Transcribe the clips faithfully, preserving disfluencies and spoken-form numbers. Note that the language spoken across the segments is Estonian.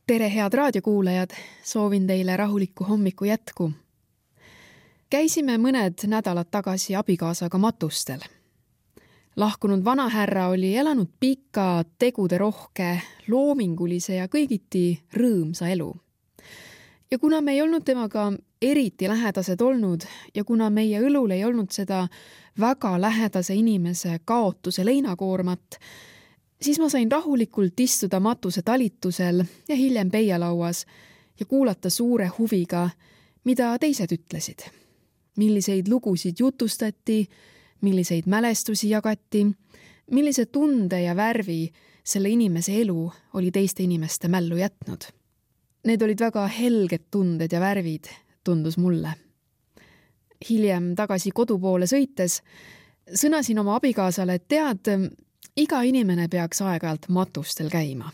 Tere, head raadiokuulajad! Soovin teile rahulikku hommiku jätku. Käisime mõned nädalad tagasi abikaasaga matustel. Lahkunud vanahärra oli elanud pika, tegude rohke, loomingulise ja kõigiti rõõmsa elu. Ja kuna me ei olnud temaga eriti lähedased olnud ja kuna meie õlul ei olnud seda väga lähedase inimese kaotuse leinakoormat, siis ma sain rahulikult istuda matuse talitusel ja hiljem peialauas ja kuulata suure huviga, mida teised ütlesid. Milliseid lugusid jutustati, milliseid mälestusi jagati, millise tunde ja värvi selle inimese elu oli teiste inimeste mällu jätnud. Need olid väga helged tunded ja värvid, tundus mulle. Hiljem tagasi kodupoole sõites sõnasin oma abikaasale, et tead, iga inimene peaks aeg-ajalt matustel käima.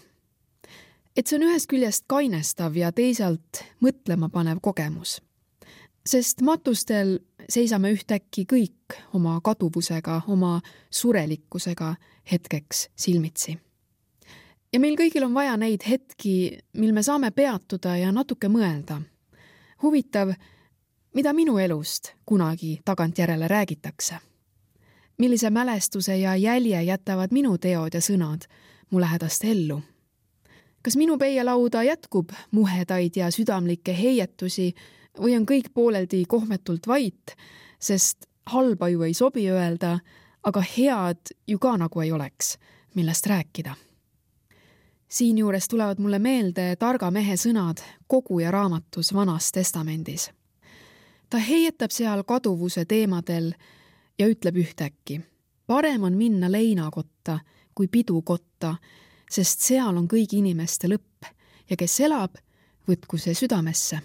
Et see on ühest küljest kainestav ja teisalt mõtlema panev kogemus. Sest matustel seisame ühtäkki kõik oma kaduvusega, oma surelikkusega hetkeks silmitsi. Ja meil kõigil on vaja neid hetki, mil me saame peatuda ja natuke mõelda. Huvitav, mida minu elust kunagi tagantjärele räägitakse. Millise mälestuse ja jälje jätavad minu teod ja sõnad mu lähedaste ellu. Kas minu peialauda jätkub muhedaid ja südamlikke heietusi või on kõik pooleldi kohmetult vait, sest halba ju ei sobi öelda, aga head ju ka nagu ei oleks, millest rääkida. Siinjuures tulevad mulle meelde targa mehe sõnad Koguja raamatus Vanas testamendis. Ta heietab seal kaduvuse teemadel ja ütleb ühtäkki, parem on minna leinakotta kui pidukotta, sest seal on kõigi inimeste lõpp ja kes elab, võtku see südamesse.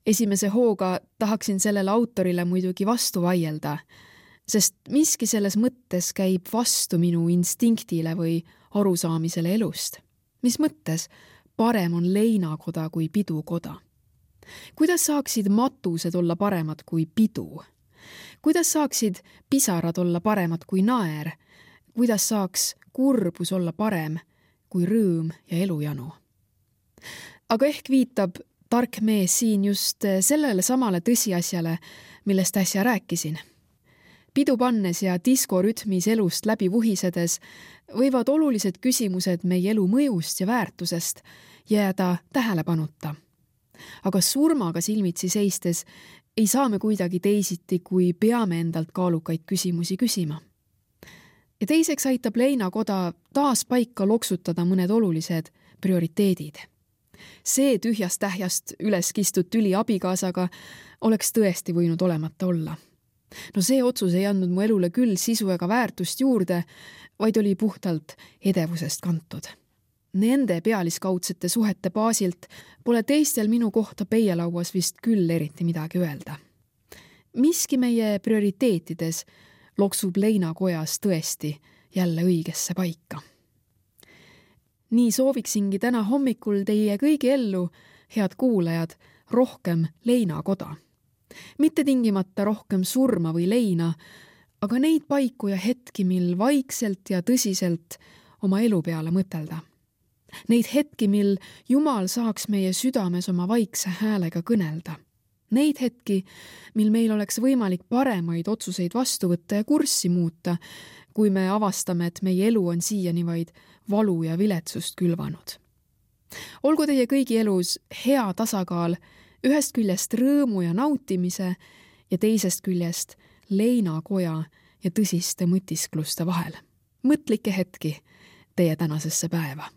Esimese hooga tahaksin sellele autorile muidugi vastu vaielda, sest miski selles mõttes käib vastu minu instinktile või arusaamisele elust. Mis mõttes parem on leinakoda kui pidukoda? Kuidas saaksid matused olla paremad kui pidu? Kuidas saaksid pisarad olla paremad kui naer? Kuidas saaks kurbus olla parem kui rõõm ja elujanu? Aga ehk viitab tark mees siin just sellele samale tõsiasjale, millest äsja rääkisin. Pidu pannes ja diskorütmis elust läbi vuhisedes võivad olulised küsimused meie elu mõjust ja väärtusest jääda tähelepanuta. Aga surmaga silmitsi seistes ei saa me kuidagi teisiti, kui peame endalt kaalukaid küsimusi küsima. Ja teiseks aitab leinakoda taas paika loksutada mõned olulised prioriteedid. See tühjast tähjast üles kistud tüli abikaasaga oleks tõesti võinud olemata olla. No see otsus ei andnud mu elule küll sisu ega väärtust juurde, vaid oli puhtalt edevusest kantud. Nende pealiskaudsete suhete baasilt pole teistel minu kohta peialauas vist küll eriti midagi öelda. Miski meie prioriteetides loksub leinakojas tõesti jälle õigesse paika. Nii sooviksingi täna hommikul teie kõigi ellu, head kuulajad, rohkem leinakoda. Mitte tingimata rohkem surma või leina, aga neid paiku ja hetki, mil vaikselt ja tõsiselt oma elu peale mõtelda. Neid hetki, mil Jumal saaks meie südames oma vaikse häälega kõnelda. Neid hetki, mil meil oleks võimalik paremaid otsuseid vastu võtta ja kurssi muuta, kui me avastame, et meie elu on siiani vaid valu ja viletsust külvanud. Olgu teie kõigi elus hea tasakaal ühest küljest rõõmu ja nautimise ja teisest küljest leinakoja ja tõsiste mõtiskluste vahel. Mõtlike hetki teie tänasesse päeva.